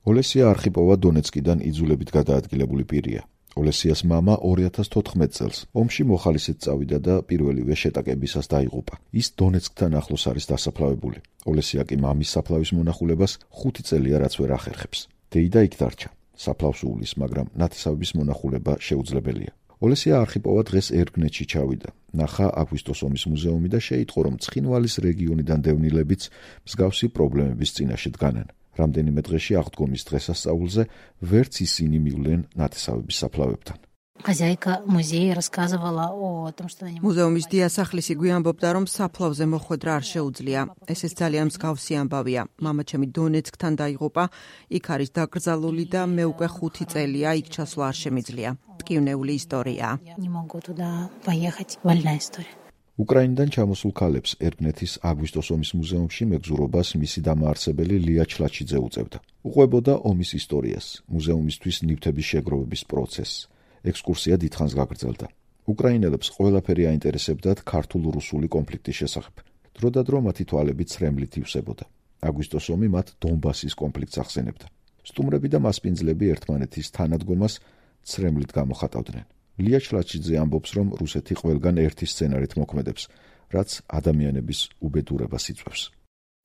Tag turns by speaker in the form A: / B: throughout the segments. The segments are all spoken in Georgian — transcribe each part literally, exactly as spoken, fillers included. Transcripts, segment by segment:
A: ოლესია არხიპოვა დონეცკიდან იძულებით გადაადგილებული პირია. ოლესიას მამა ორი ათას თოთხმეტ წელს ომში მოხალისედ წავიდა და პირველივე შეტაკებისას დაიღუპა. ის დონეცკთან ახლოს არის დასაფლავებული. ოლესია კი მამის საფლავის მონახულებას ხუთი წელია რაც ვერ ახერხებს. დეიდა იქ დარჩა. საფლავს უვლის, მაგრამ ნათესავების მონახულება შეუძლებელია. ოლესია არხიპოვა დღეს ერგნეთში ჩავიდა. ნახა აგვისტოს ომის მუზეუმი და შეიტყო, რომ ცხინვალის რეგიონიდან დევნილებიც მსგავსი პრობლემების წინაშე დგანან. რამდენიმე დღეში აღდგომის დღესასწაულზე ვერც ისინი მივლენ ნათესავების საფლავებთან.
B: Хозяйка музея рассказывала о том, что они
C: მუზეუმის დიასახლისი გვიანბობდა, რომ საფლავზე მოხვედრა არ შეუძლია. ესეც ძალიან მსგავსი ამბავია. მამაჩემი დონეცკთან დაიღუპა, იქ არის დაკრძალული და მე უკვე ხუთი წელია იქ ჩასვლა არ შემიძლია. ტკივნეული ისტორია.
B: не могу туда поехать. Вольная история.
A: უკრაინიდან ჩამოსულ ქალებს ერგნეთის აგვისტოს ომის მუზეუმში მეგზურობას მისი დამაარსებელი ლია ჩლაჩიძე უწევდა. უყვებოდა ომის ისტორიას, მუზეუმისთვის ნივთების შეგროვების პროცესს. ექსკურსია დიდხანს გაგრძელდა. უკრაინელებს ყველაფერი აინტერესებდათ ქართულ-რუსული კონფლიქტის შესახებ. დროდადრო მათი თვალები ცრემლით ივსებოდა. აგვისტოს ომი მათ დონბასის კონფლიქტს ახსენებდა. სტუმრები და მასპინძლები ერთმანეთის თანადგომას ცრემლით გამოხატავდნენ. ლია ჩლაჩიძე ამბობს, რომ რუსეთი ყველგან ერთი სცენარით მოქმედებს, რაც ადამიანების უბედურებას იწვევს.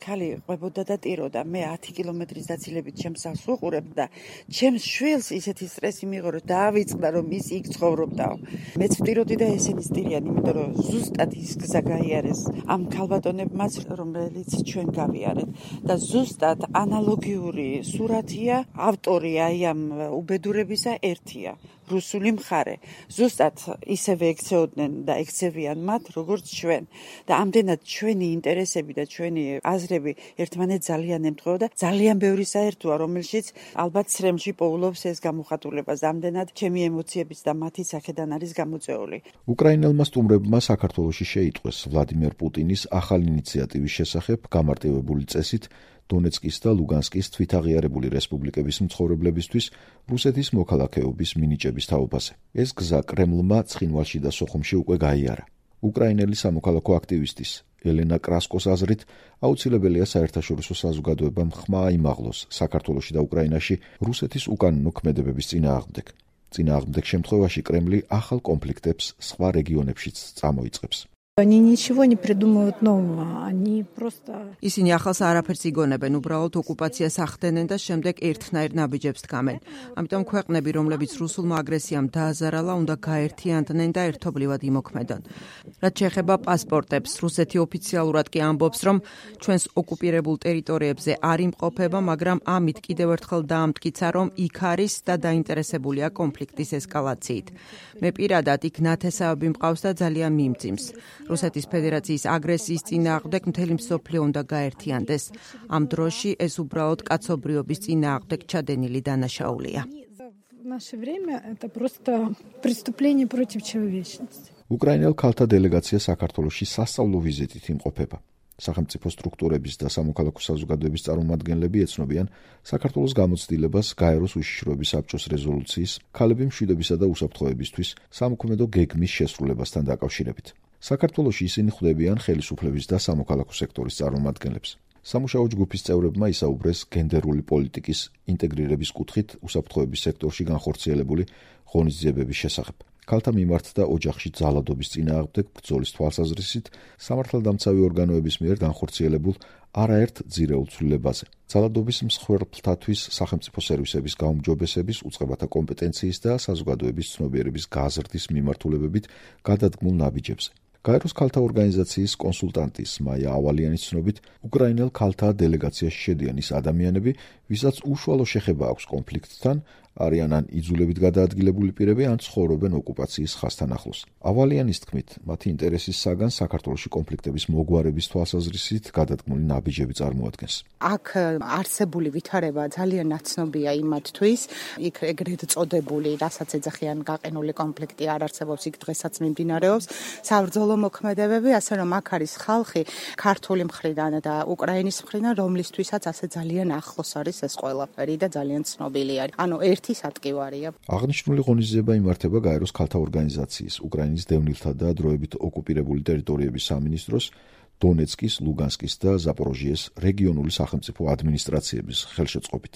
D: ქალი ყვებოდა და ტიროდა. მე ათი კილომეტრის დაცილებით ჩემს ავს ვუყურებ და ჩემს შვილს ისეთი სტრესი მიიღო, რომ დაავიწყდა, რომ ის იქ ცხოვრობდაო. მეც ვტიროდი და ესენი სტირიან, იმიტომ რომ ზუსტად ის გზა გაიარეს ამ ქალბატონებმაც, რომელიც ჩვენ გავიარეთ და ზუსტად ანალოგიური სურათია, ავტორი აი ამ უბედურებისა ერთია. რუსული მხარე. ზუსტად ისევე ექცეოდნენ და ექცევიან მათ, როგორც ჩვენ. და ამდენად ჩვენი ინტერესები და ჩვენი აზრები ერთმანეთს ძალიან ემთხვევა და ძალიან ბევრი საერთოა, რომელშიც ალბათ ცრემლში პოულობს ეს გამოხატულება. ამდენად ჩემი ემოციებიც და მათი აქედან არის გამოწვეული.
A: უკრაინელმა სტუმრებმა საქართველოში შეიტყვეს ვლადიმერ პუტინის ახალი ინიციატივის შესახებ გამარტივებული წესით დონეცკის და ლუგანსკის თვითაღიარებული რესპუბლიკების მცხოვრებლებისთვის რუსეთის მოქალაქეობის მინიჭების თაობაზე. ეს გზა კრემლმა ცხინვალში და სოხუმში უკვე გაიარა. უკრაინელი სამოქალაქო აქტივისტის ელენა კრასკოს აზრით, აუცილებელია საერთაშორისო საზოგადოებამ ხმა აიმაღლოს საქართველოში და უკრაინაში რუსეთის უკანონო ქმედებების წინააღმდეგ. წინააღმდეგ შემთხვევაში კრემლი ახალ კონფლიქტებს სხვა რეგიონებშიც წამოიწყებს.
E: Они ничего не придумывают нового, они просто...
C: ისინი ახალს არაფერს იგონებენ, უბრალოდ ოკუპაციას ახდენენ და შემდეგ ერთნაირ ნაბიჯებს დგამენ. ამიტომ ქვეყნები, რომლებიც რუსულმა აგრესიამ დააზარალა, უნდა გაერთიანდნენ და ერთობლივად იმოქმედონ. რაც შეეხება პასპორტებს, რუსეთი ოფიციალურად კი ამბობს, რომ ჩვენს ოკუპირებულ ტერიტორიებზე არ იმყოფება, მაგრამ ამით კიდევ ერთხელ დაამტკიცა, რომ იქ არის და დაინტერესებულია კონფლიქტის ესკალაციით. მე პირადად იქ ნათესავები მყავს და ძალიან მიმძიმს. რუსეთის ფედერაციის აგრესიის წინააღმდეგ მთელი მსოფლიო უნდა გაერთიანდეს. ამ დროში ეს უბრალოდ კაცობრიობის წინააღმდეგ ჩადენილი დანაშაულია.
E: В наше время это просто преступление против человечности.
A: უკრაინელ ქალთა დელეგაცია საქართველოში სასწავლო ვიზიტით იმყოფება. სახელმწიფო სტრუქტურების და სამოქალაქო საზოგადოების წარმომადგენლები ეცნობიან საქართველოს გამოცდილებას გაეროს უშიშროების საბჭოს რეზოლუციის ქალები მშვიდობისა და უსაფრთხოებისთვის სამოქმედო გეგმის შესრულებასთან დაკავშირებით. საქართველოში ისინი ხვდებიან ხელისუფლების და სამოქალაქო სექტორის წარმომადგენლებს. სამუშაო ჯგუფის წევრებმა ისაუბრეს გენდერული პოლიტიკის ინტეგრირების კუთხით უსაფრთხოების სექტორში განხორციელებული ღონისძიებების შესახებ. ქალთა მიმართ და ოჯახში ძალადობის წინააღმდეგ ბრძოლის თვალსაზრისით სამართალდამცავი ორგანოების მიერ განხორციელებულ არაერთ ძირეულ ცვლილებაზე. ძალადობის მსხვერპლთათვის სახელმწიფო სერვისების გაუმჯობესების, უწყებათა კომპეტენციის და საზოგადოების ცნობიერების გაზრდის მიმართულებებით გადადგმულ ნაბიჯებზე. გაეროს ქალთა ორგანიზაციის კონსულტანტის მაია ავალიანის ცნობით, უკრაინელ ქალთა დელეგაციაში შედიან ის ადამიანები, ვისაც უშუალო შეხება აქვს კონფლიქტთან, არიან ან იძულებით გადაადგილებული პირები, ან ცხოვრობენ ოკუპაციის ხაზთან ახლოს. ავალიანის თქმით, მათი ინტერესის საგან საქართველოში კონფლიქტების მოგვარების თვალსაზრისით გადადგმული ნაბიჯები წარმოადგენს.
F: აქ არსებული ვითარება ძალიან ნაცნობია იმათთვის, იქ ეგრეთ წოდებული, რასაც ეძახიან გაყინული კონფლიქტი არ არსებობს, იქ დღესაც მიმდინარეობს საბრძოლო მოქმედებები, ასე რომ აქ არის ხალხი ქართული მხრიდან და უკრაინის მხრიდან, რომლისთვისაც ასე ძალიან ახლოს არის ეს ყველაფერი და ძალიან ცნობილი არის. ანუ ერთი სატკივარია.
A: აღნიშნული ღონისძიება იმართება გაეროს ქალთა ორგანიზაციის, უკრაინის დევნილთა და დროებით ოკუპირებული ტერიტორიების სამინისტროს, დონეცკის, ლუგანსკის და ზაპოროჟიეს რეგიონული სახელმწიფო ადმინისტრაციების ხელშეწყობით.